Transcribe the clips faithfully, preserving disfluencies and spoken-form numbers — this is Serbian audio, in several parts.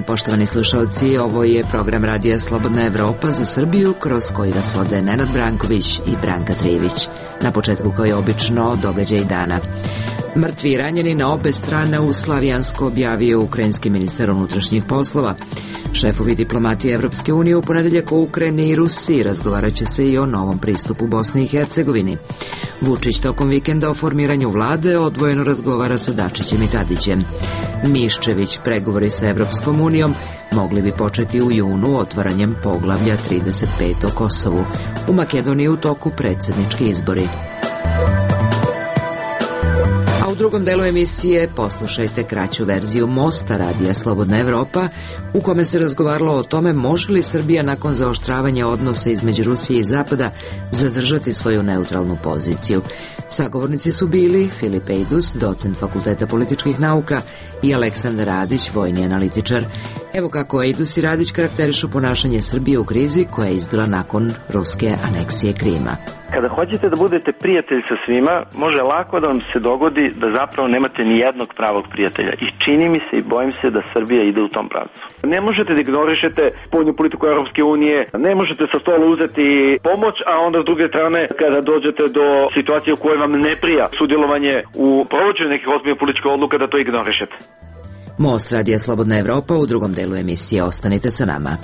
dan, poštovani slušalci, ovo je program Radija Slobodna Evropa za Srbiju, kroz koji vas vode Nenad Branković i Branka Trijević. Na početku, kao je obično, događaj dana. Mrtvi i ranjeni na obe strane u Slavijansko objavio ukrajinski ministar unutrašnjih poslova. Šefovi diplomatije Evropske unije u ponedeljak o Ukrajini i Rusiji razgovarat će se i o novom pristupu Bosni i Hercegovini. Vučić tokom vikenda o formiranju vlade odvojeno razgovara sa Dačićem i Tadićem. Miščević pregovori sa Evropskom unijom mogli bi početi u junu otvaranjem poglavlja trideset pet o Kosovu. U Makedoniji u toku predsjednički izbori. U drugom delu emisije poslušajte kraću verziju Mosta Radija Slobodna Evropa, u kome se razgovaralo o tome može li Srbija nakon zaoštravanja odnosa između Rusije i Zapada zadržati svoju neutralnu poziciju. Sagovornici su bili Filip Ejdus, docent Fakulteta političkih nauka, i Aleksandar Radić, vojni analitičar. Evo kako Ejdus i Radić karakterišu ponašanje Srbije u krizi koja je izbila nakon ruske aneksije Krima. Kada hoćete da budete prijatelj sa svima, može lako da vam se dogodi da zapravo nemate ni jednog pravog prijatelja. I čini mi se i bojim se da Srbija ide u tom pravcu. Ne možete da ignorišete spoljnu politiku Europske unije, ne možete sa stola uzeti pomoć, a onda s druge strane kada dođete do situacije u kojoj vam ne prija sudjelovanje u provođenju nekih ozbiljnih političkih odluka, da to ignorišete. Most Radija Slobodna Evropa u drugom delu emisije. Ostanite sa nama.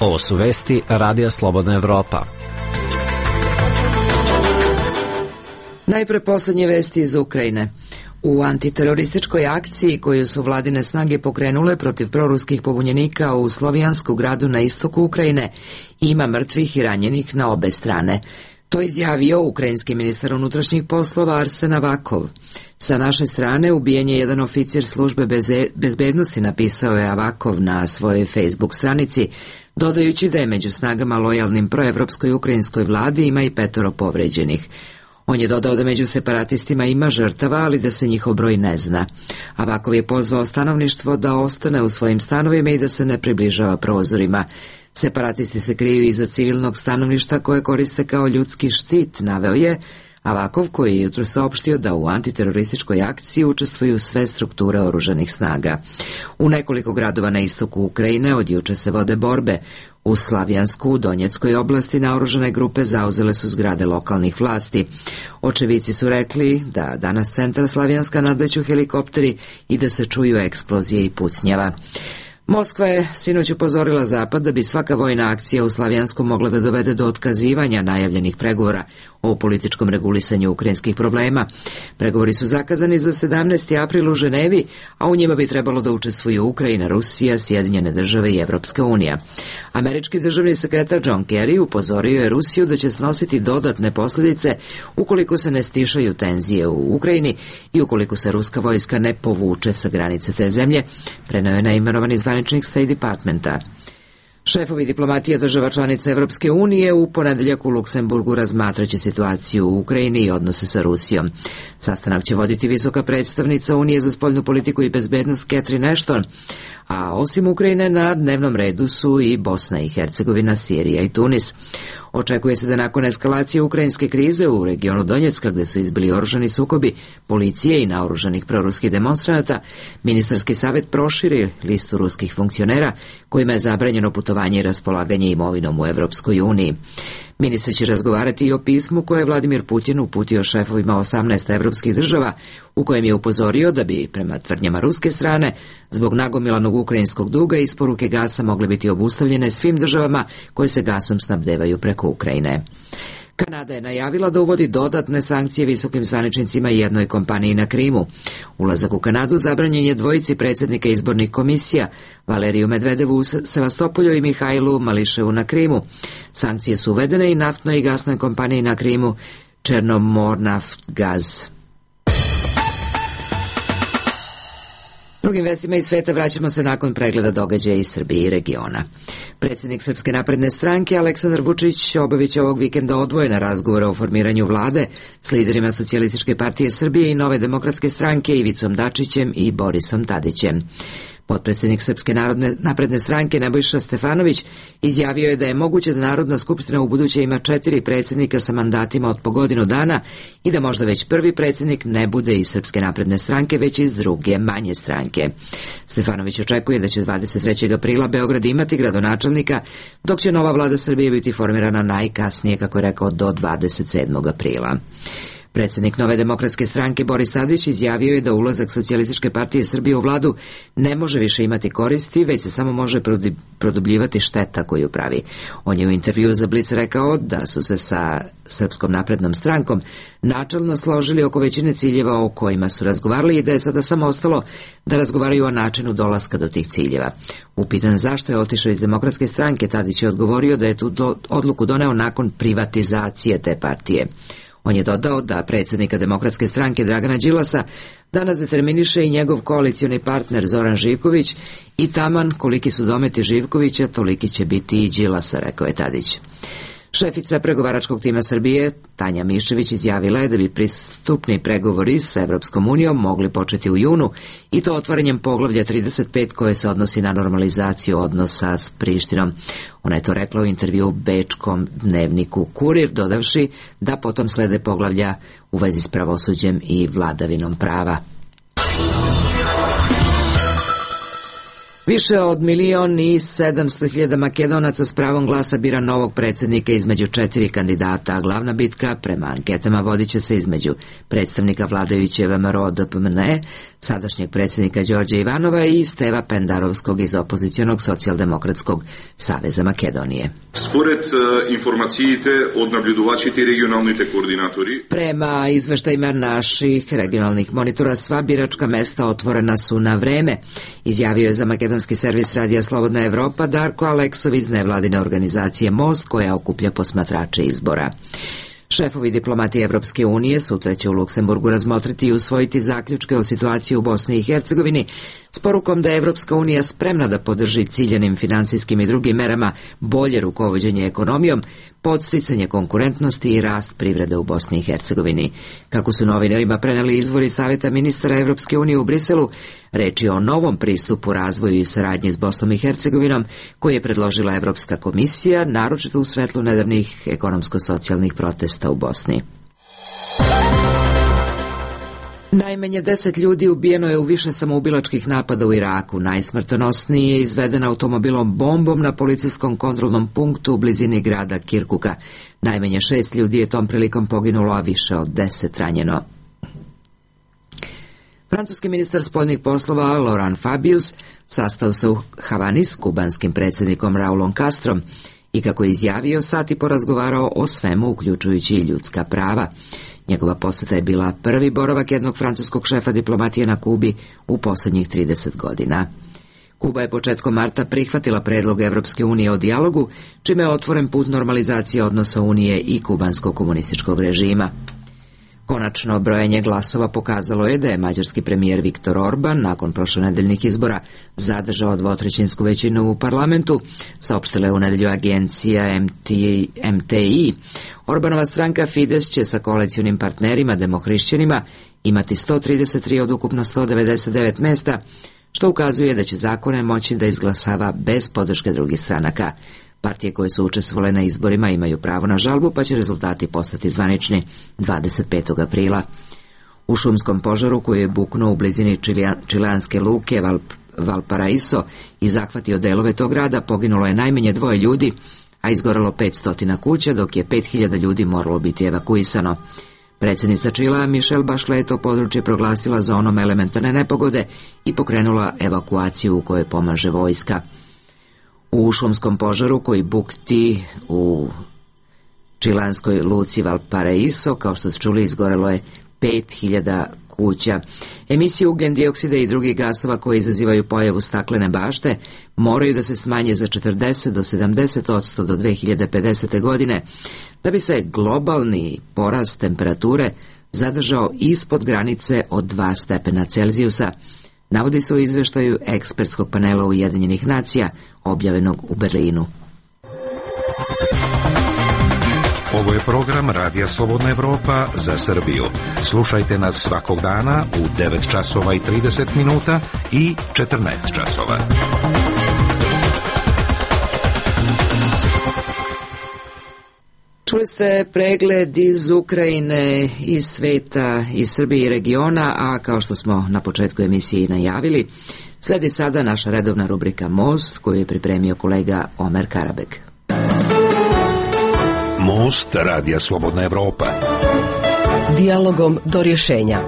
Ovo su vesti Radija Slobodna Evropa. Najpre poslednje vesti iz Ukrajine. U antiterorističkoj akciji koju su vladine snage pokrenule protiv proruskih pobunjenika u Slovijansku gradu na istoku Ukrajine ima mrtvih i ranjenih na obe strane. To izjavio ukrajinski ministar unutrašnjih poslova Arsen Avakov. Sa naše strane ubijen je jedan oficir službe bezbednosti, napisao je Avakov na svojoj Facebook stranici, dodajući da je među snagama lojalnim proevropskoj ukrajinskoj vladi ima i petoro povređenih. On je dodao da među separatistima ima žrtava, ali da se njihov broj ne zna. Avakov je pozvao stanovništvo da ostane u svojim stanovima i da se ne približava prozorima. Separatisti se kriju iza civilnog stanovništa koje koriste kao ljudski štit, naveo je Avakov, koji je jutro saopštio da u antiterorističkoj akciji učestvuju sve strukture oružanih snaga. U nekoliko gradova na istoku Ukrajine od juče se vode borbe. U Slavijansku, u Donjeckoj oblasti, naoružane grupe zauzele su zgrade lokalnih vlasti. Očevici su rekli da danas centar Slavijanska nadleću helikopteri i da se čuju eksplozije i pucnjava. Moskva je sinoć upozorila Zapad da bi svaka vojna akcija u Slavijansku mogla da dovede do otkazivanja najavljenih pregovora o političkom regulisanju ukrajinskih problema. Pregovori su zakazani za sedamnaesti april u Ženevi, a u njima bi trebalo da učestvuju Ukrajina, Rusija, Sjedinjene države i Evropska unija. Američki državni sekretar John Kerry upozorio je Rusiju da će snositi dodatne posljedice ukoliko se ne stišaju tenzije u Ukrajini i ukoliko se ruska vojska ne povuče sa granice te zemlje, preneo je neimenovani zvaničnik State Departmenta. Šefovi diplomatije država članica Evropske unije u ponedeljak u Luksemburgu razmatraće situaciju u Ukrajini i odnose sa Rusijom. Sastanak će voditi visoka predstavnica Unije za spoljnu politiku i bezbednost Catherine Ashton, a osim Ukrajine na dnevnom redu su i Bosna i Hercegovina, Sirija i Tunis. Očekuje se da nakon eskalacije ukrajinske krize u regionu Donjecka, gde su izbili oružani sukobi policije i naoružanih proruskih demonstranata, ministarski savjet proširi listu ruskih funkcionera kojima je zabranjeno putovanje i raspolaganje imovinom u Evropskoj uniji. Ministri će razgovarati i o pismu koje je Vladimir Putin uputio šefovima osamnaest evropskih država, u kojem je upozorio da bi, prema tvrdnjama ruske strane, zbog nagomilanog ukrajinskog duga isporuke gasa mogle biti obustavljene svim državama koje se gasom snabdevaju preko Ukrajine. Kanada je najavila da uvodi dodatne sankcije visokim zvaničnicima i jednoj kompaniji na Krimu. Ulazak u Kanadu zabranjen je dvojici predsjednika izbornih komisija, Valeriju Medvedevu u Sevastopolju i Mihajlu Mališevu na Krimu. Sankcije su uvedene i naftnoj i gasnoj kompaniji na Krimu Černomornaftgaz. Drugim vestima iz sveta vraćamo se nakon pregleda događaja iz Srbije i regiona. Predsjednik Srpske napredne stranke Aleksandar Vučić obavit će ovog vikenda odvojena razgovora o formiranju vlade s liderima Socijalističke partije Srbije i Nove demokratske stranke Ivicom Dačićem i Borisom Tadićem. Potpredsjednik Srpske narodne napredne stranke Nebojša Stefanović izjavio je da je moguće da Narodna skupština u buduće ima četiri predsjednika sa mandatima od po godinu dana i da možda već prvi predsjednik ne bude iz Srpske napredne stranke, već iz druge, manje stranke. Stefanović očekuje da će dvadeset trećeg aprila Beograd imati gradonačelnika, dok će nova vlada Srbije biti formirana najkasnije, kako je rekao, do dvadeset sedmog aprila. Predsjednik Nove demokratske stranke Boris Tadić izjavio je da ulazak Socijalističke partije Srbije u vladu ne može više imati koristi, već se samo može produbljivati šteta koju pravi. On je u intervjuu za Blic rekao da su se sa Srpskom naprednom strankom načelno složili oko većine ciljeva o kojima su razgovarali i da je sada samo ostalo da razgovaraju o načinu dolaska do tih ciljeva. Upitan zašto je otišao iz Demokratske stranke, Tadić je odgovorio da je tu do, odluku doneo nakon privatizacije te partije. On je dodao da predsjednika Demokratske stranke Dragana Đilasa danas determiniše i njegov koalicioni partner Zoran Živković i taman koliki su dometi Živkovića, toliki će biti i Đilasa, rekao je Tadić. Šefica pregovaračkog tima Srbije, Tanja Mišević, izjavila je da bi pristupni pregovori sa Evropskom unijom mogli početi u junu i to otvaranjem poglavlja trideset pet koje se odnosi na normalizaciju odnosa s Prištinom. Ona je to rekla u intervju bečkom dnevniku Kurir, dodavši da potom slede poglavlja u vezi s pravosuđem i vladavinom prava. Više od milion i sedamsto hiljada Makedonaca s pravom glasa bira novog predsjednika između četiri kandidata, a glavna bitka prema anketama vodit će se između predstavnika vladajuće V M R O D P M N E, sadašnjeg predsjednika Đorđa Ivanova i Steva Pendarovskog iz opozicionog socijaldemokratskog saveza Makedonije. Според информациите од наблюдувачите и регионалните координатори, prema izveštajima naših regionalnih monitora, sva biračka mesta otvorena su na vreme, izjavio je za makedonski servis Radija Slobodna Evropa Darko Aleksov iz nevladine organizacije Most, koja okuplja posmatrače izbora. Šefovi diplomatije Evropske unije sutra će u Luksemburgu razmotriti i usvojiti zaključke o situaciji u Bosni i Hercegovini s porukom da je Evropska unija spremna da podrži ciljanim finansijskim i drugim merama bolje rukovođenje ekonomijom, podsticanje konkurentnosti i rast privrede u Bosni i Hercegovini. Kako su novinarima preneli izvori Saveta ministara Evropske unije u Briselu, reč je o novom pristupu razvoju i saradnji s Bosnom i Hercegovinom koji je predložila Evropska komisija, naročito u svetlu nedavnih ekonomsko-socijalnih protesta u Bosni. Najmanje deset ljudi ubijeno je u više samoubilačkih napada u Iraku. Najsmrtonosniji je izveden automobilom bombom na policijskom kontrolnom punktu u blizini grada Kirkuka. Najmanje šest ljudi je tom prilikom poginulo, a više od deset ranjeno. Francuski ministar spoljnih poslova Laurent Fabius sastao se u Havani s kubanskim predsjednikom Raulom Castrom i, kako je izjavio, sati porazgovarao o svemu, uključujući i ljudska prava. Njegova poseta je bila prvi boravak jednog francuskog šefa diplomatije na Kubi u posljednjih trideset godina. Kuba je početkom marta prihvatila predlog Evropske unije o dijalogu, čime je otvoren put normalizacije odnosa Unije i kubanskog komunističkog režima. Konačno brojanje glasova pokazalo je da je mađarski premijer Viktor Orban nakon prošlonedeljnih izbora zadržao dvotrećinsku većinu u parlamentu, saopštila je u nedelju agencija M T I. Orbanova stranka Fides će sa koalicionim partnerima demohrišćanima imati sto trideset tri od ukupno sto devedeset devet mesta, što ukazuje da će zakone moći da izglasava bez podrške drugih stranaka. Partije koje su učestvovale na izborima imaju pravo na žalbu, pa će rezultati postati zvanični dvadeset petog aprila. U šumskom požaru koji je buknuo u blizini čileanske luke Val, Valparaiso i zahvatio delove tog grada, poginulo je najmanje dvoje ljudi, a izgorelo petsto kuća, dok je pet hiljada ljudi moralo biti evakuisano. Predsjednica Čilea Michelle Bachelet to područje proglasila zonom elementarne nepogode i pokrenula evakuaciju u kojoj pomaže vojska. U šumskom požaru koji bukti u čilanskoj luci Valparaiso, kao što ste čuli, izgorelo je pet hiljada kuća. Emisije ugljen dioksida i drugih gasova koje izazivaju pojavu staklene bašte moraju da se smanje za četrdeset do sedamdeset odsto do dve hiljade pedesete. godine, da bi se globalni porast temperature zadržao ispod granice od dva stepena Celzijusa, navodi se u izveštaju ekspertskog panela Ujedinjenih nacija, objavljenog u Berlinu. Ovo je program Radija Slobodna Evropa za Srbiju. Slušajte nas svakog dana u devet časova i trideset minuta i četrnaest časova. Čuli ste pregled iz Ukrajine, iz sveta, iz Srbije i regiona, a kao što smo na početku emisije i najavili, sledi sada naša redovna rubrika Most, koju je pripremio kolega Omer Karabeg. Most Radija Slobodna Evropa. Dijalogom do rješenja.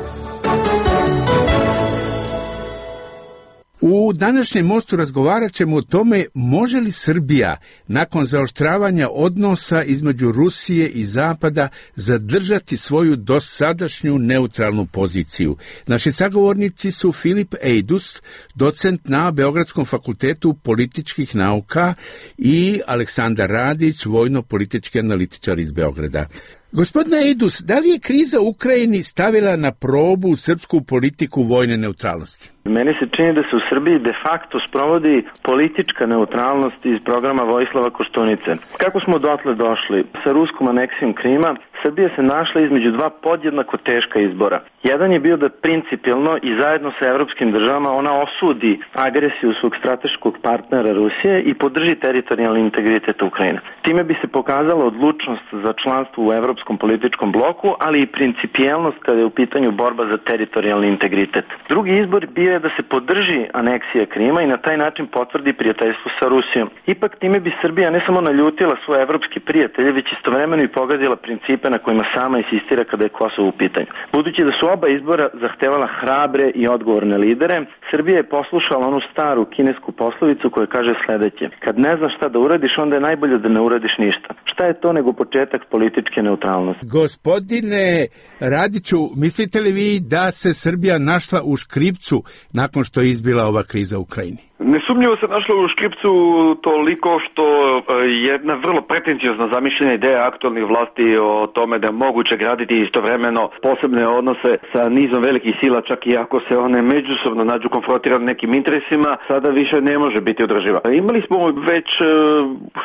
U današnjem mostu razgovarat ćemo o tome može li Srbija nakon zaoštravanja odnosa između Rusije i Zapada zadržati svoju dosadašnju neutralnu poziciju. Naši sagovornici su Filip Ejdus, docent na Beogradskom fakultetu političkih nauka, i Aleksandar Radić, vojno-politički analitičar iz Beograda. Gospodine Ejdus, da li je kriza u Ukrajini stavila na probu srpsku politiku vojne neutralnosti? Meni se čini da se u Srbiji de facto sprovodi politička neutralnost iz programa Vojislava Koštunice. Kako smo dotle došli? Sa ruskom aneksijom Krima, Srbija se našla između dva podjednako teška izbora. Jedan je bio da principijelno i zajedno sa evropskim državama ona osudi agresiju svog strateškog partnera Rusije i podrži teritorijalni integritet Ukrajine. Time bi se pokazala odlučnost za članstvo u evropskom političkom bloku, ali i principijelnost kada je u pitanju borba za teritorijalni integritet. Drugi izbor bio je da se podrži aneksija Krima i na taj način potvrdi prijateljstvo sa Rusijom. Ipak time bi Srbija ne samo naljutila svoje evropske prijatelje, već istovremeno i pogadila principe na kojima sama insistira kada je Kosovo u pitanju. Budući da su oba izbora zahtevala hrabre i odgovorne lidere, Srbija je poslušala onu staru kinesku poslovicu koja kaže sledeće: kad ne znaš šta da uradiš, onda je najbolje da ne uradiš ništa. Šta je to nego početak političke neutralnosti? Gospodine Radiću, mislite li vi da se Srbija našla u škripcu nakon što je izbila ova kriza u Ukrajini? Nesumnjivo se našla u škripcu toliko što jedna vrlo pretencijozna zamišljena ideja aktualnih vlasti o tome da je moguće graditi istovremeno posebne odnose sa nizom velikih sila, čak i ako se one međusobno nađu konfrontirane nekim interesima, sada više ne može biti održiva. Imali smo već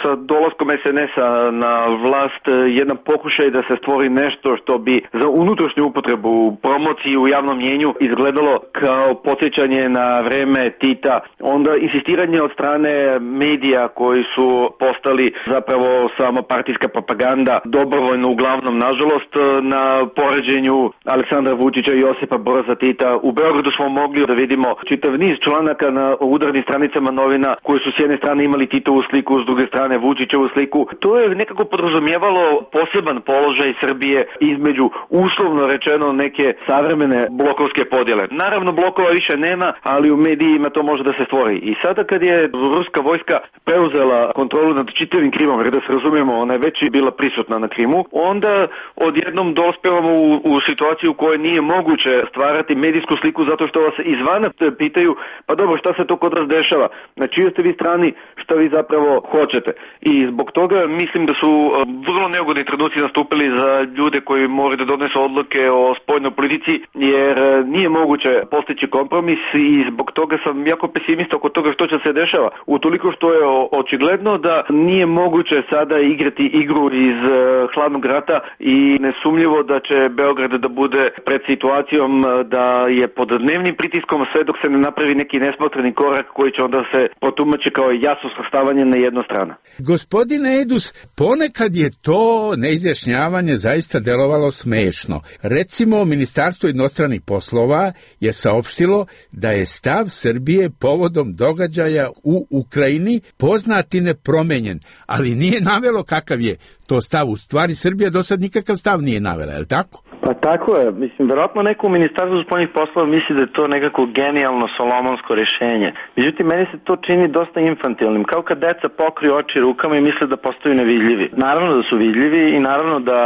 sa dolaskom es en es-a na vlast jedan pokušaj da se stvori nešto što bi za unutrašnju upotrebu, promociju u javnom mnjenju izgledalo kao podsjećanje na vreme Tita. Onda insistiranje od strane medija koji su postali zapravo samo partijska propaganda, dobrovoljno uglavnom nažalost, na poređenju Aleksandra Vučića i Josipa Broza Tita. U Beogradu smo mogli da vidimo čitav niz članaka na udarnim stranicama novina koji su s jedne strane imali Titovu sliku, s druge strane Vučićevu sliku. To je nekako podrazumijevalo poseban položaj Srbije između, uslovno rečeno, neke savremene blokovske podjele. Naravno, blokova više nema, ali u medijima to može da se stvori. I sada kad je ruska vojska preuzela kontrolu nad čitavim Krimom, jer da se razumijemo, ona je već bila prisutna na Krimu, onda odjednom dospevamo u, u situaciju u kojoj nije moguće stvarati medijsku sliku zato što vas izvana pitaju, pa dobro, šta se to kod vas dešava, na čijoj ste vi strani, šta vi zapravo hoćete. I zbog toga mislim da su vrlo neugodni trenuci nastupili za ljude koji moraju da donesu odluke o spoljnoj politici, jer nije moguće postići kompromis i zbog toga sam jako pesimista oko toga što će se dešava. Utoliko što je očigledno da nije moguće sada igrati igru iz uh, hladnog rata i nesumljivo da će Beograd da bude pred situacijom da je pod dnevnim pritiskom sve dok se ne napravi neki nesmotreni korak koji će onda se potumači kao jasno svrstavanje na jednu stranu. Gospodine Ejdus, ponekad je to neizjašnjavanje zaista delovalo smešno. Recimo, Ministarstvo inostranih poslova je saopštilo da je stav Srbije povodom događaja u Ukrajini poznat i nepromenjen, ali nije navelo kakav je to stav. U stvari Srbija do sad nikakav stav nije navela, je li tako? Pa tako je. Mislim, verovatno neko u Ministarstvu spoljnih poslova misli da je to nekako genijalno solomonsko rješenje. Međutim, meni se to čini dosta infantilnim. Kao kad deca pokriju oči rukama i misle da postaju nevidljivi. Naravno da su vidljivi i naravno da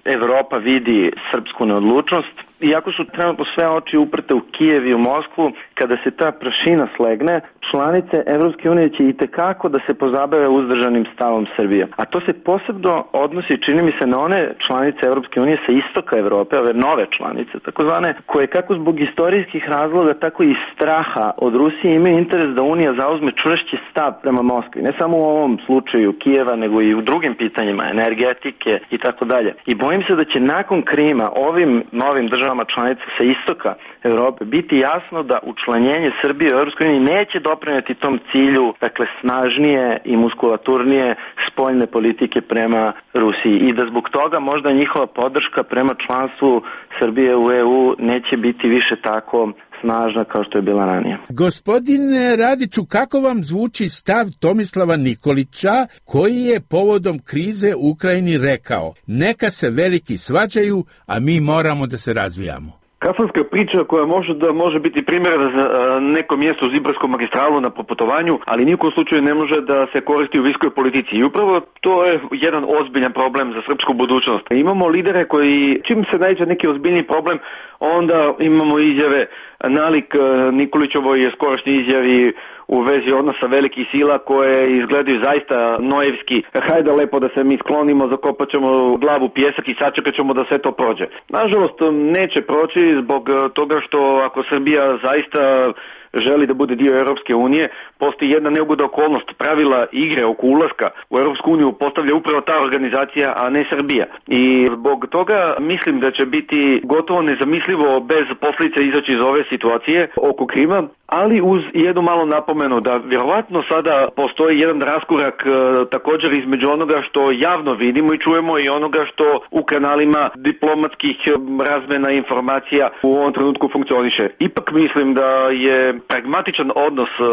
Evropa vidi srpsku neodlučnost. Iako su trenutno sve oči uprte u Kijev i u Moskvu, kada se ta prašina slegne, članice Evropske unije će itekako da se pozabave uzdržanim stavom Srbije. A to se posebno odnosi, čini mi se, na one članice Evropske unije sa istoka Evrope, ove nove članice, takozvane, koje kako zbog istorijskih razloga, tako i straha od Rusije imaju interes da Unija zauzme čvršći stav prema Moskvi. Ne samo u ovom slučaju Kijeva, nego i u drugim pitanjima, energetike i tako dalje. I bojim se da će nakon Krima ovim novim državama članica sa istoka Evrope biti jasno da učlanjenje Srbije u Evropskoj uniji neće doprineti tom cilju, dakle, snažnije i muskulaturnije spoljne politike prema Rusiji i da zbog toga možda njihova podrška prema članstvu Srbije u E U neće biti više tako snažna kao što je bila ranije. Gospodine Radiću, kako vam zvuči stav Tomislava Nikolića, koji je povodom krize u Ukrajini rekao: neka se veliki svađaju, a mi moramo da se razvijamo? Kafanska priča koja može da može biti primjerena za neko mjesto uz Ibarskom magistralu na proputovanju, ali nijekom slučaju ne može da se koristi u viskoj politici. I upravo to je jedan ozbiljan problem za srpsku budućnost. Imamo lidere koji, čim se nađe neki ozbiljni problem, onda imamo izjave nalik Nikolićovoj skorašnji izjavi u vezi odnosa velikih sila koje izgledaju zaista nojevski. Hajde lepo da se mi sklonimo, zakopat ćemo glavu u pijesak i sačekat ćemo da sve to prođe. Nažalost, neće proći zbog toga što ako Srbija zaista želi da bude dio Europske unije, postoji jedna neugodna okolnost. Pravila igre oko ulaska u Europsku uniju postavlja upravo ta organizacija, a ne Srbija. I zbog toga mislim da će biti gotovo nezamislivo bez posljedica izaći iz ove situacije oko Krima, ali uz jednu malu napomenu da vjerovatno sada postoji jedan raskorak e, također između onoga što javno vidimo i čujemo i onoga što u kanalima diplomatskih razmjena informacija u ovom trenutku funkcioniše. Ipak mislim da je pragmatičan odnos e,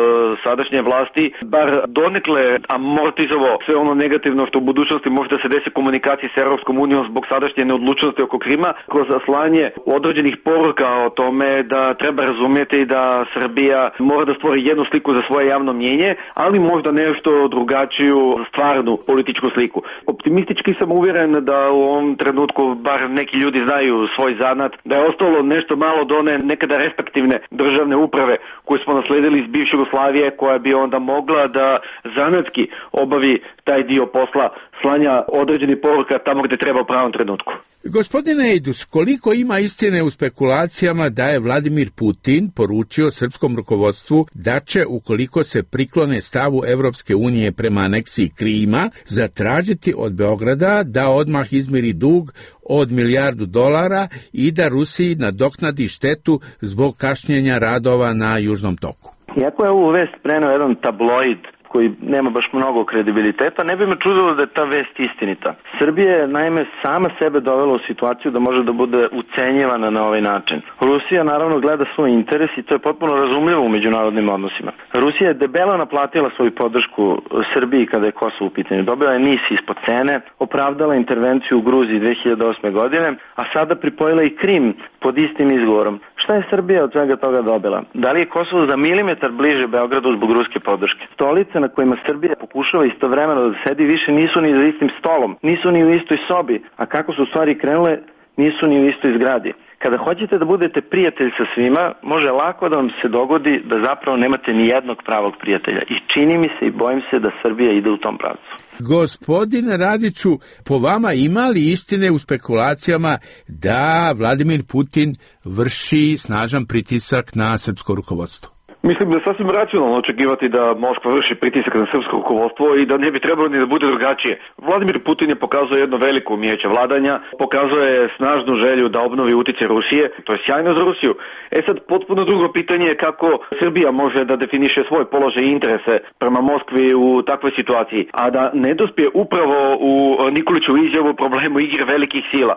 sadašnje vlasti bar donekle amortizovao sve ono negativno što u budućnosti može da se desi komunikaciji s Europskom unijom zbog sadašnje neodlučnosti oko Krima, kroz slanje određenih poruka o tome da treba razumjeti da Srbija mora da stvori jednu sliku za svoje javno mnjenje, ali možda nešto drugačiju stvarnu političku sliku. Optimistički sam uvjeren da u ovom trenutku bar neki ljudi znaju svoj zanat, da je ostalo nešto malo do one nekada respektivne državne uprave koju smo nasledili iz bivše Jugoslavije, koja bi onda mogla da zanatski obavi taj dio posla slanja određenih poruka tamo gdje treba u pravom trenutku. Gospodine Ejdus, koliko ima istine u spekulacijama da je Vladimir Putin poručio srpskom rukovodstvu da će, ukoliko se priklone stavu Evropske unije prema aneksiji Krima, zatražiti od Beograda da odmah izmiri dug od milijardu dolara i da Rusiji nadoknadi štetu zbog kašnjenja radova na Južnom toku? Iako je ovu vest preneo jedan tabloid koji nema baš mnogo kredibiliteta, ne bi me čudilo da je ta vest istinita. Srbija je naime sama sebe dovela u situaciju da može da bude ucenjivana na ovaj način. Rusija naravno gleda svoj interes i to je potpuno razumljivo u međunarodnim odnosima. Rusija je debelo naplatila svoju podršku Srbiji kada je Kosovo u pitanju. Dobila je NIS ispod cene, opravdala intervenciju u Gruziji dve hiljade osme godine, a sada pripojila i Krim pod istim izgovorom. Šta je Srbija od svega toga dobila? Da li je Kosovo za milimetar bliže Beogradu zbog ruske podrške? Stolice na kojima Srbija pokušava istovremeno da sedi više nisu ni za istim stolom, nisu ni u istoj sobi, a kako su stvari krenule, nisu ni u istoj zgradi. Kada hoćete da budete prijatelj sa svima, može lako da vam se dogodi da zapravo nemate ni jednog pravog prijatelja. I čini mi se i bojim se da Srbija ide u tom pravcu. Gospodine Radiću, po vama ima li istine u spekulacijama da Vladimir Putin vrši snažan pritisak na srpsko rukovodstvo? Mislim da je sasvim racionalno očekivati da Moskva vrši pritisak na srpsko rukovodstvo i da ne bi trebalo ni da bude drugačije. Vladimir Putin je pokazao jedno veliko umijeće vladanja, pokazao je snažnu želju da obnovi utjecaj Rusije, to je sjajno za Rusiju. E sad, potpuno drugo pitanje je kako Srbija može da definiše svoj položaj i interese prema Moskvi u takvoj situaciji, a da ne dospije upravo u Nikolićevu izjavu o problemu igre velikih sila.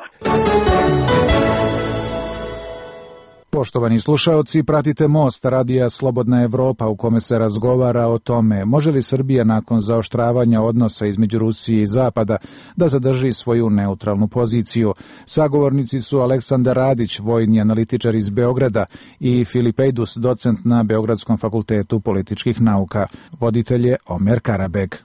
Poštovani slušaoci, pratite Most, radija Slobodna Evropa, u kome se razgovara o tome može li Srbija nakon zaoštravanja odnosa između Rusije i Zapada da zadrži svoju neutralnu poziciju. Sagovornici su Aleksandar Radić, vojni analitičar iz Beograda, i Filip Ejdus, docent na Beogradskom fakultetu političkih nauka. Voditelj je Omer Karabeg.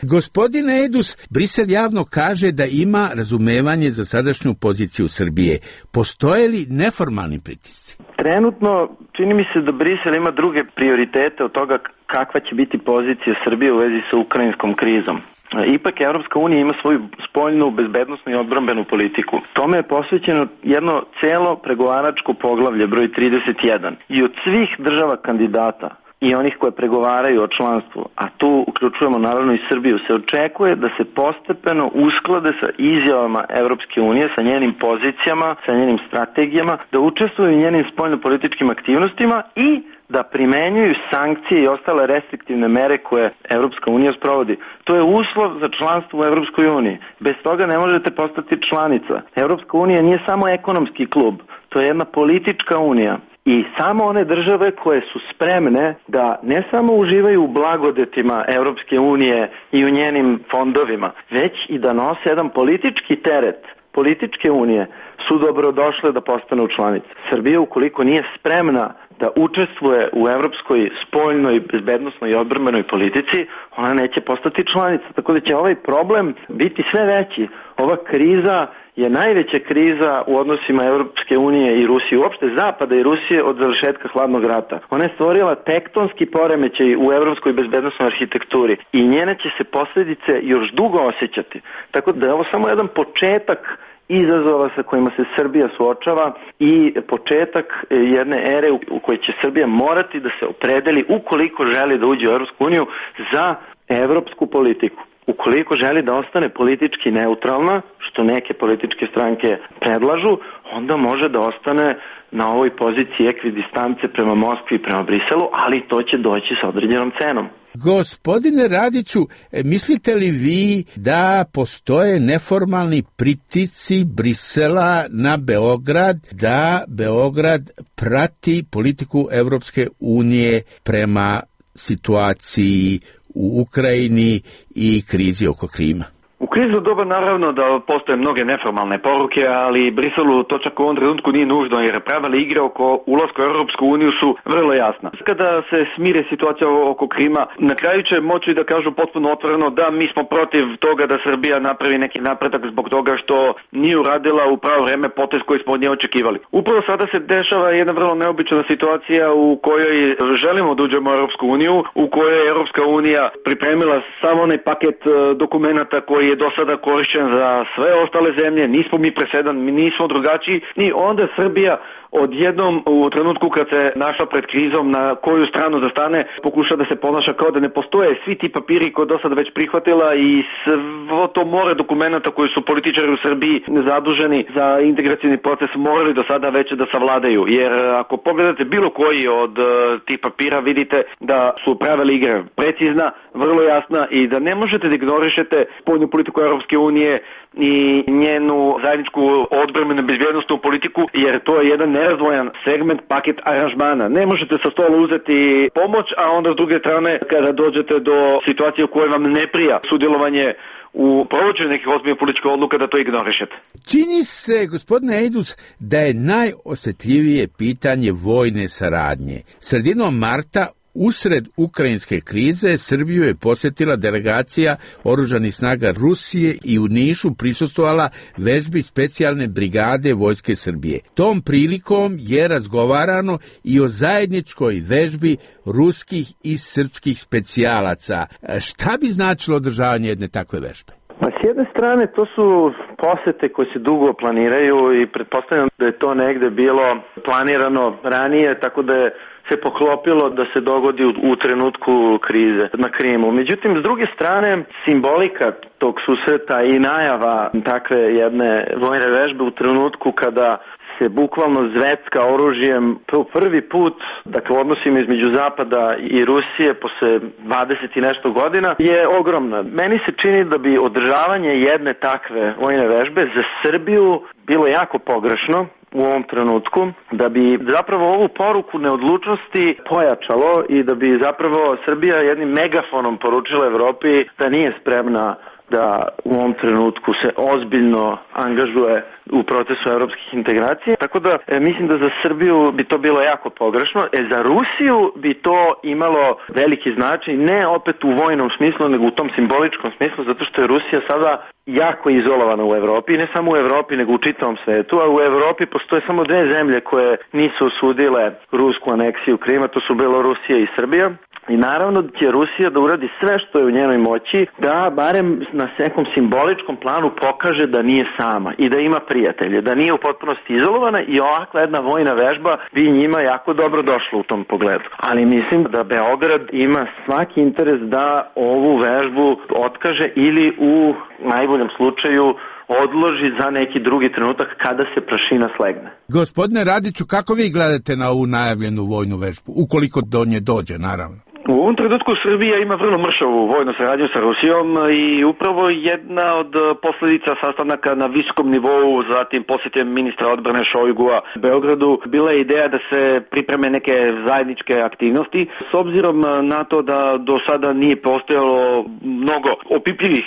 Gospodine Edus, Brisel javno kaže da ima razumevanje za sadašnju poziciju Srbije. Postoje li neformalni pritisci? Trenutno čini mi se da Brisel ima druge prioritete od toga kakva će biti pozicija Srbije u vezi sa ukrajinskom krizom. Ipak Evropska unija ima svoju spoljnu, bezbednosnu i odbrambenu politiku. Tome je posvećeno jedno celo pregovaračko poglavlje broj trideset jedan. I od svih država kandidata i onih koje pregovaraju o članstvu, a tu uključujemo naravno i Srbiju, se očekuje da se postepeno usklade sa izjavama Evropske unije, sa njenim pozicijama, sa njenim strategijama, da učestvuju u njenim spoljnopolitičkim aktivnostima i da primenjuju sankcije i ostale restriktivne mere koje Evropska unija sprovodi. To je uslov za članstvo u Evropskoj uniji. Bez toga ne možete postati članica. Evropska unija nije samo ekonomski klub, to je jedna politička unija. I samo one države koje su spremne da ne samo uživaju u blagodetima Evropske unije i u njenim fondovima, već i da nose jedan politički teret političke unije, su dobrodošle da postanu članice. Srbija, ukoliko nije spremna da učestvuje u evropskoj spoljnoj, bezbednosnoj i odbrambenoj politici, ona neće postati članica. Tako da će ovaj problem biti sve veći. Ova kriza je najveća kriza u odnosima Evropske unije i Rusije, uopšte Zapada i Rusije od završetka hladnog rata. Ona je stvorila tektonski poremećaj u evropskoj bezbednosnoj arhitekturi i njene će se posljedice još dugo osjećati. Tako da je ovo samo jedan početak izazova sa kojima se Srbija suočava i početak jedne ere u kojoj će Srbija morati da se opredeli ukoliko želi da uđe u Evropsku uniju za evropsku politiku. Ukoliko želi da ostane politički neutralna, što neke političke stranke predlažu, onda može da ostane na ovoj poziciji ekvidistance prema Moskvi i prema Briselu, ali to će doći sa određenom cenom. Gospodine Radiću, mislite li vi da postoje neformalni pritisci Brisela na Beograd, da Beograd prati politiku Evropske unije prema situaciji u Ukrajini i krizi oko Krima? U krizno doba naravno da postoje mnoge neformalne poruke, ali Briselu to čak u ovom trenutku nije nužno, jer pravila igre oko ulaska u Europsku uniju su vrlo jasna. Kada se smire situacija oko Krima, na kraju će moći da kažu potpuno otvoreno da mi smo protiv toga da Srbija napravi neki napredak zbog toga što nije uradila u pravo vreme potez koji smo od nje očekivali. Upravo sada se dešava jedna vrlo neobična situacija u kojoj želimo da uđemo u Europsku uniju, u kojoj je Europska unija pripremila samo onaj paket dokumenata koji je do sada korišćen za sve ostale zemlje, nismo mi presedan, mi nismo drugačiji i onda Srbija odjednom u trenutku kad se našla pred krizom na koju stranu da stane, pokuša da se ponaša kao da ne postoje svi ti papiri koje do sada već prihvatila i svo to more dokumenta koji su političari u Srbiji zaduženi za integracijni proces morali do sada već da savladaju. Jer ako pogledate bilo koji od uh, tih papira vidite da su pravila igre precizna, vrlo jasna i da ne možete da ignorišete spoljnu politiku Europske unije i njenu zajedničku odbrambenu bezbjednosnu politiku, jer to je jedan nerazdvojan segment paket aranžmana. Ne možete sa stola uzeti pomoć, a onda s druge strane kada dođete do situacije u kojoj vam ne prija sudjelovanje u provođenju nekih ozbiljnih političkih odluka da to ignorišete. Čini se, gospodine Edus, da je najosjetljivije pitanje vojne saradnje. Sredinom marta usred ukrajinske krize Srbiju je posjetila delegacija oružanih snaga Rusije i u Nišu prisustvovala vežbi specijalne brigade Vojske Srbije. Tom prilikom je razgovarano i o zajedničkoj vežbi ruskih i srpskih specijalaca. Šta bi značilo održavanje jedne takve vežbe? Pa s jedne strane to su posete koje se dugo planiraju i pretpostavljam da je to negde bilo planirano ranije, tako da je se poklopilo da se dogodi u, u trenutku krize na Krimu. Međutim, s druge strane, simbolika tog susreta i najava takve jedne vojne vežbe u trenutku kada se bukvalno zvecka oružjem po prvi put, dakle u odnosima između Zapada i Rusije posle dvadeset i nešto godina, je ogromna. Meni se čini da bi održavanje jedne takve vojne vežbe za Srbiju bilo jako pogrešno u ovom trenutku, da bi zapravo ovu poruku neodlučnosti pojačalo i da bi zapravo Srbija jednim megafonom poručila Evropi da nije spremna da u ovom trenutku se ozbiljno angažuje u procesu evropskih integracija, tako da e, mislim da za Srbiju bi to bilo jako pogrešno, e za Rusiju bi to imalo veliki značaj, ne opet u vojnom smislu, nego u tom simboličkom smislu, zato što je Rusija sada jako izolovana u Evropi, ne samo u Evropi, nego u čitavom svetu, a u Evropi postoje samo dve zemlje koje nisu osudile rusku aneksiju Krima, to su Belorusija i Srbija. I naravno da će Rusija da uradi sve što je u njenoj moći da barem na nekom simboličkom planu pokaže da nije sama i da ima prijatelje, da nije u potpunosti izolovana i ovakva jedna vojna vežba bi njima jako dobro došla u tom pogledu. Ali mislim da Beograd ima svaki interes da ovu vežbu otkaže ili u najboljem slučaju odloži za neki drugi trenutak kada se prašina slegne. Gospodine Radiću, kako vi gledate na ovu najavljenu vojnu vežbu, ukoliko do nje dođe, naravno? U ovom trenutku Srbija ima vrlo mršavu vojnu saradnju sa Rusijom i upravo jedna od posledica sastanaka na visokom nivou, zatim posjetem ministra odbrane Šojgua Beogradu, bila je ideja da se pripreme neke zajedničke aktivnosti. S obzirom na to da do sada nije postojalo mnogo opipljivih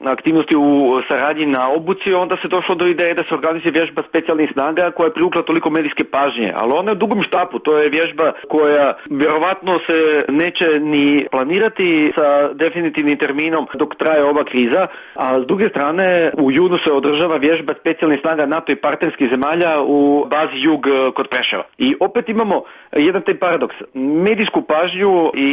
aktivnosti u saradnji na obuci, onda se došlo do ideje da se organizuje vježba specijalnih snaga koja je privukla toliko medijske pažnje. Ali ona je u dugom štapu, to je vježba koja vjerovatno se neće ni planirati sa definitivnim terminom dok traje ova kriza, a s druge strane u junu se održava vježba specijalnih snaga NATO i partnerskih zemalja u bazi Jug kod Preševa. I opet imamo jedan taj paradoks. Medijsku pažnju i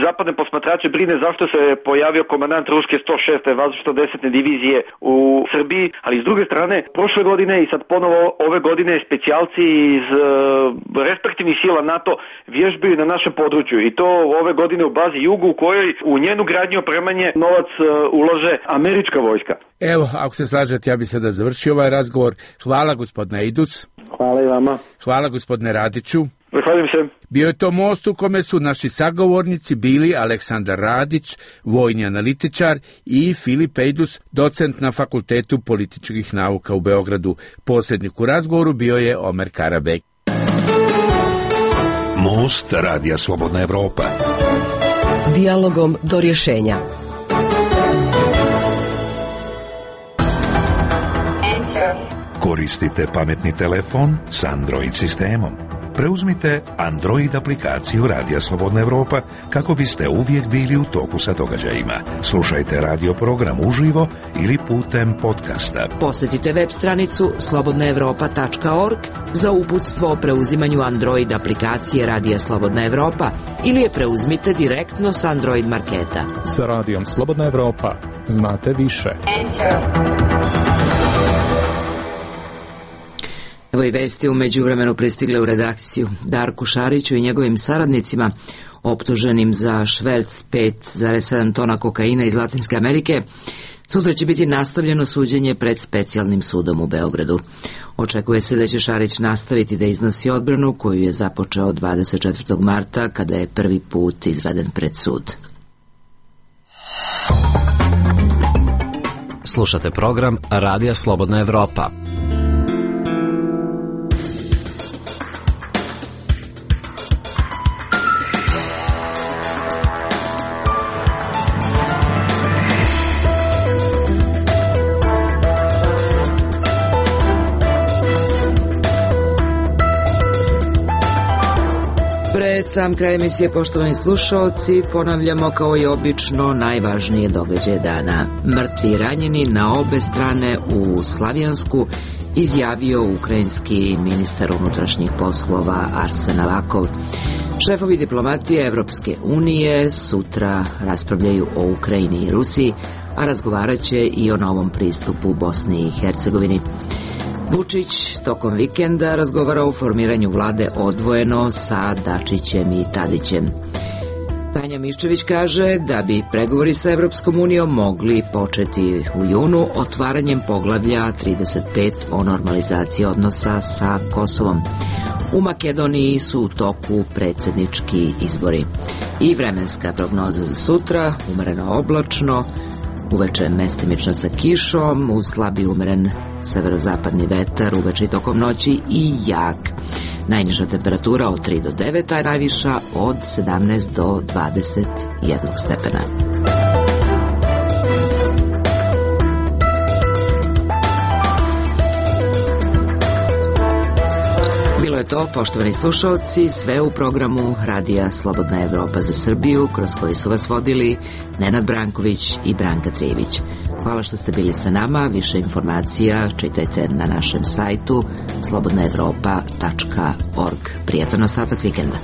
zapadne posmatrače brine zašto se pojavio komandant ruske sto šeste vazdušno-desantne divizije u Srbiji, ali s druge strane prošle godine i sad ponovo ove godine specijalci iz uh, respektivnih sila NATO vježbaju na našem području i to ove godine u bazi Jugu u kojoj u njenu gradnju opremanje novac uh, ulaže američka vojska. Evo, ako se slažete, ja bih sada završio ovaj razgovor. Hvala gospodine Idus. Hvala i vama. Hvala gospodine Radiću. Zahvaljujem se. Bio je to most u kome su naši sagovornici bili Aleksandar Radić, vojni analitičar, i Filip Ejdus, docent na Fakultetu političkih nauka u Beogradu. Posrednik u razgovoru bio je Omer Karabek. Most Radija Slobodna Evropa. Dijalogom do rješenja. Koristite pametni telefon s Android sistemom. Preuzmite Android aplikaciju Radija Slobodna Evropa kako biste uvijek bili u toku sa događajima. Slušajte radio program uživo ili putem podcasta. Posjetite web stranicu slobodna evropa tačka org za uputstvo o preuzimanju Android aplikacije Radija Slobodna Evropa ili je preuzmite direktno s Android marketa. Sa Radijom Slobodna Evropa znate više. Evo i vesti u međuvremenu pristigle u redakciju. Darku Šariću i njegovim saradnicima, optuženim za šverc pet zarez sedam tona kokaina iz Latinske Amerike, sutra će biti nastavljeno suđenje pred specijalnim sudom u Beogradu. Očekuje se da će Šarić nastaviti da iznosi odbranu koju je započeo dvadeset četvrtog marta kada je prvi put izveden pred sud. Slušate program Radija Slobodna Evropa. Pred sam kraj emisije, poštovani slušalci, ponavljamo kao i obično najvažnije događaje dana. Mrtvi i ranjeni na obe strane u Slavijansku izjavio ukrajinski ministar unutrašnjih poslova Arsen Avakov. Šefovi diplomatije Evropske unije sutra raspravljaju o Ukrajini i Rusiji, a razgovarat će i o novom pristupu Bosni i Hercegovini. Vučić tokom vikenda razgovara o formiranju vlade odvojeno sa Dačićem i Tadićem. Tanja Miščević kaže da bi pregovori sa Evropskom unijom mogli početi u junu otvaranjem poglavlja trideset pet o normalizaciji odnosa sa Kosovom. U Makedoniji su u toku predsjednički izbori. I vremenska prognoza za sutra, umereno oblačno, uveče mestimično sa kišom, uz slabi umeren severozapadni vetar, uveče i tokom noći i jak. Najniža temperatura od tri do devet, a najviša od sedamnaest do dvadeset jedan stepena. to, poštovani slušalci, sve u programu Radija Slobodna Evropa za Srbiju, kroz koji su vas vodili Nenad Branković i Branka Trijević. Hvala što ste bili sa nama. Više informacija čitajte na našem sajtu slobodna evropa tačka org. Prijatan ostatak vikenda.